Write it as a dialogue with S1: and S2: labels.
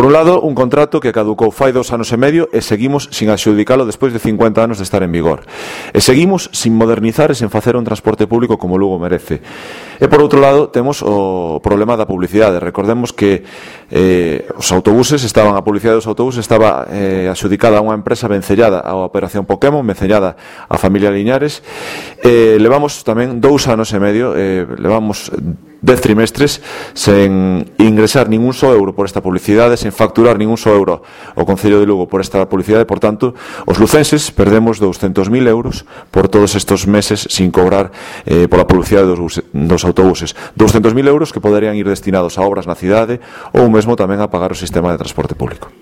S1: Por un lado, un contrato que caducou fai 2 anos e medio e seguimos sin adxudicalo despois de 50 anos de estar en vigor. E seguimos sin modernizar e sin facer un transporte público como Lugo merece. E por outro lado, temos o problema da publicidade. Recordemos que a publicidade dos autobuses estaba adxudicada a unha empresa vencellada á Operación Pokémon, vencellada á familia Liñares. Levamos tamén 2 anos e medio, levamos 10 trimestres sen ingresar ningún só euro por esta publicidade, sen facturar ningún só euro ao Concello de Lugo por esta publicidade. Por tanto, os lucenses perdemos 200.000 euros por todos estes meses sin cobrar pola publicidade dos autobuses. 200.000 euros que poderían ir destinados a obras na cidade ou mesmo tamén a pagar o sistema de transporte público.